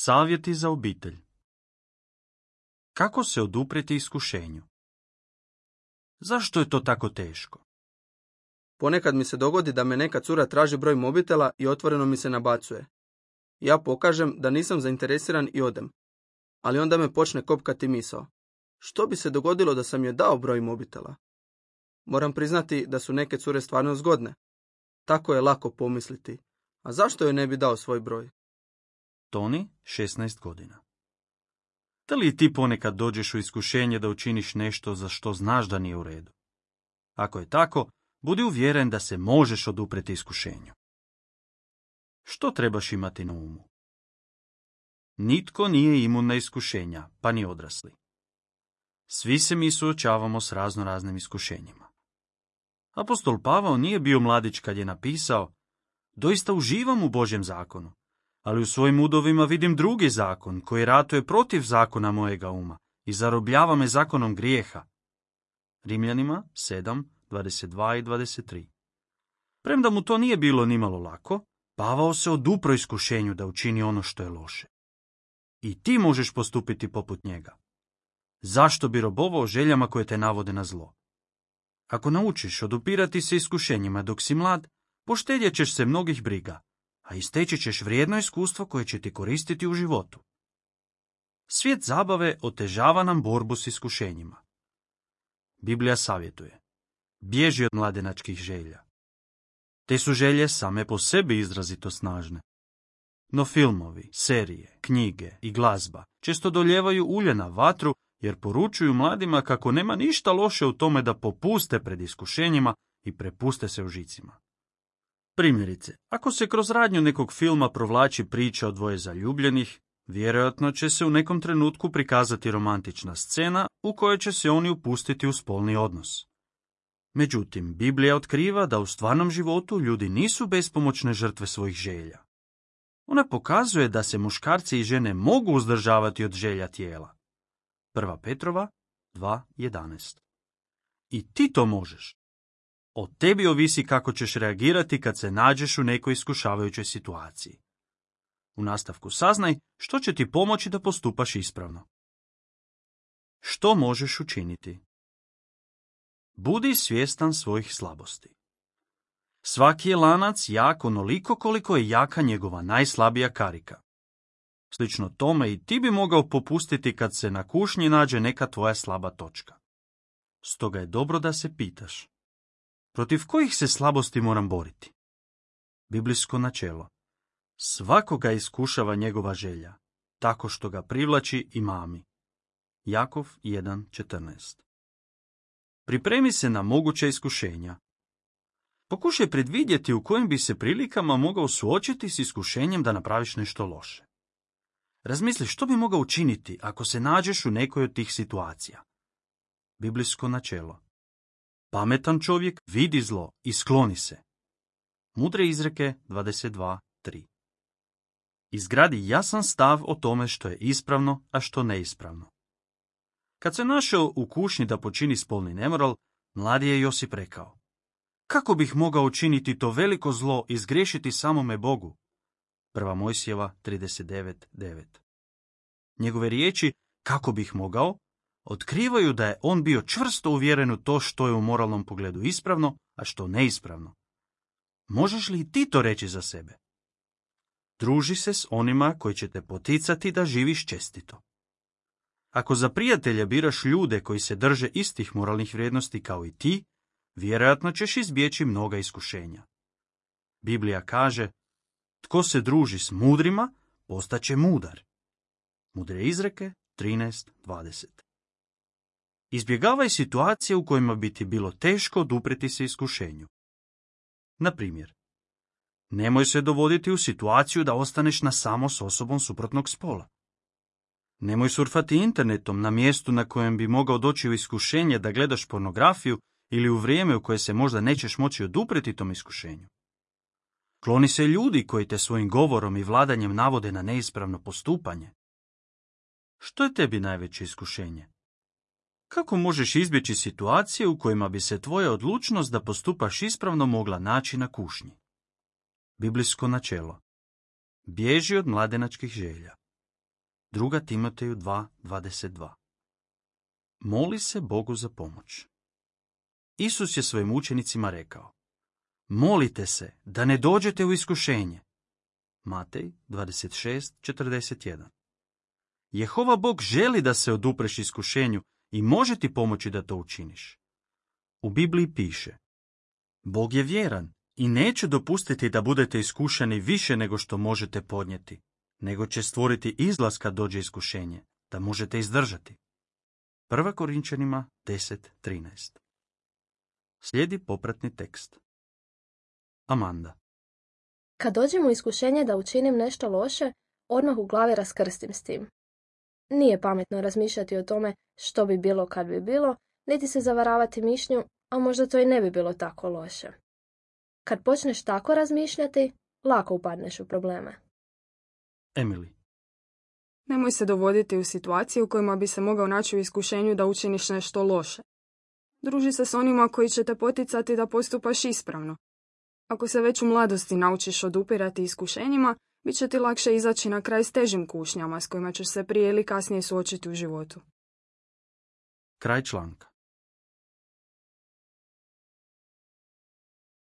Savjeti za obitelj. Kako se oduprijeti iskušenju? Zašto je to tako teško? Ponekad mi se dogodi da me neka cura traži broj mobitela i otvoreno mi se nabacuje. Ja pokažem da nisam zainteresiran i odem. Ali onda me počne kopkati misao. Što bi se dogodilo da sam joj dao broj mobitela? Moram priznati da su neke cure stvarno zgodne. Tako je lako pomisliti. A zašto joj ne bi dao svoj broj? Toni, 16 godina. Da li ti ponekad dođeš u iskušenje da učiniš nešto za što znaš da nije u redu? Ako je tako, budi uvjeren da se možeš oduprijeti iskušenju. Što trebaš imati na umu? Nitko nije imun na iskušenja, pa ni odrasli. Svi se mi suočavamo s raznoraznim iskušenjima. Apostol Pavao nije bio mladić kad je napisao: doista uživam u Božjem zakonu, ali u svojim udovima vidim drugi zakon koji ratuje protiv zakona mojega uma i zarobljava me zakonom grijeha. Rimljanima 7, 22 i 23. Premda mu to nije bilo nimalo lako, Pavao se odupro iskušenju da učini ono što je loše. I ti možeš postupiti poput njega. Zašto bi robovao željama koje te navode na zlo? Ako naučiš odupirati se iskušenjima dok si mlad, poštedjet ćeš se mnogih briga, a isteći ćeš vrijedno iskustvo koje će ti koristiti u životu. Svijet zabave otežava nam borbu s iskušenjima. Biblija savjetuje: bježi od mladenačkih želja. Te su želje same po sebi izrazito snažne. No filmovi, serije, knjige i glazba često doljevaju ulje na vatru jer poručuju mladima kako nema ništa loše u tome da popuste pred iskušenjima i prepuste se užicima. Primjerice, ako se kroz radnju nekog filma provlači priča o dvoje zaljubljenih, vjerojatno će se u nekom trenutku prikazati romantična scena u kojoj će se oni upustiti u spolni odnos. Međutim, Biblija otkriva da u stvarnom životu ljudi nisu bespomoćne žrtve svojih želja. Ona pokazuje da se muškarci i žene mogu uzdržavati od želja tijela. 1. Petrova 2.11. I ti to možeš. O tebi ovisi kako ćeš reagirati kad se nađeš u nekoj iskušavajućoj situaciji. U nastavku saznaj što će ti pomoći da postupaš ispravno. Što možeš učiniti? Budi svjestan svojih slabosti. Svaki je lanac jak onoliko koliko je jaka njegova najslabija karika. Slično tome i ti bi mogao popustiti kad se na kušnji nađe neka tvoja slaba točka. Stoga je dobro da se pitaš: protiv kojih se slabosti moram boriti? Biblijsko načelo: svakoga iskušava njegova želja, tako što ga privlači i mami. Jakov 1.14. Pripremi se na moguća iskušenja. Pokušaj predvidjeti u kojim bi se prilikama mogao suočiti s iskušenjem da napraviš nešto loše. Razmisli što bi mogao učiniti ako se nađeš u nekoj od tih situacija. Biblijsko načelo: pametan čovjek vidi zlo i skloni se. Mudre izreke 22.3. Izgradi jasan stav o tome što je ispravno, a što neispravno. Kad se našao u kušnji da počini spolni nemoral, mladi je Josip rekao: kako bih mogao učiniti to veliko zlo i zgriješiti samome Bogu? 1. Mojsijeva 39.9. Njegove riječi kako bih mogao otkrivaju da je on bio čvrsto uvjeren u to što je u moralnom pogledu ispravno, a što neispravno. Možeš li i ti to reći za sebe? Druži se s onima koji će te poticati da živiš čestito. Ako za prijatelje biraš ljude koji se drže istih moralnih vrijednosti kao i ti, vjerojatno ćeš izbjeći mnoga iskušenja. Biblija kaže: tko se druži s mudrima, postaće mudar. Mudre izreke 13.20. Izbjegavaj situacije u kojima bi ti bilo teško oduprijeti se iskušenju. Na primjer, nemoj se dovoditi u situaciju da ostaneš na samo s osobom suprotnog spola. Nemoj surfati internetom na mjestu na kojem bi mogao doći u iskušenje da gledaš pornografiju ili u vrijeme u koje se možda nećeš moći oduprijeti tom iskušenju. Kloni se ljudi koji te svojim govorom i vladanjem navode na neispravno postupanje. Što je tebi najveće iskušenje? Kako možeš izbjeći situacije u kojima bi se tvoja odlučnost da postupaš ispravno mogla naći na kušnji? Biblijsko načelo: bježi od mladenačkih želja. 2. Timoteju 2:22. Moli se Bogu za pomoć. Isus je svojim učenicima rekao: molite se da ne dođete u iskušenje. Matej 26:41. Jehova Bog želi da se odupreš iskušenju i može ti pomoći da to učiniš. U Bibliji piše: Bog je vjeran i neće dopustiti da budete iskušani više nego što možete podnijeti, nego će stvoriti izlaz kad dođe iskušenje, da možete izdržati. 1. Korinčanima 10:13. Slijedi popratni tekst. Amanda. Kad dođem u iskušenje da učinim nešto loše, odmah u glavi raskrstim s tim. Nije pametno razmišljati o tome što bi bilo kad bi bilo, niti se zavaravati mišlju, a možda to i ne bi bilo tako loše. Kad počneš tako razmišljati, lako upadneš u probleme. Emily. Nemoj se dovoditi u situacije u kojima bi se mogao naći u iskušenju da učiniš nešto loše. Druži se s onima koji će te poticati da postupaš ispravno. Ako se već u mladosti naučiš odupirati iskušenjima, bit će ti lakše izaći na kraj s težim kušnjama s kojima ćeš se prije ili kasnije suočiti u životu. Kraj članka.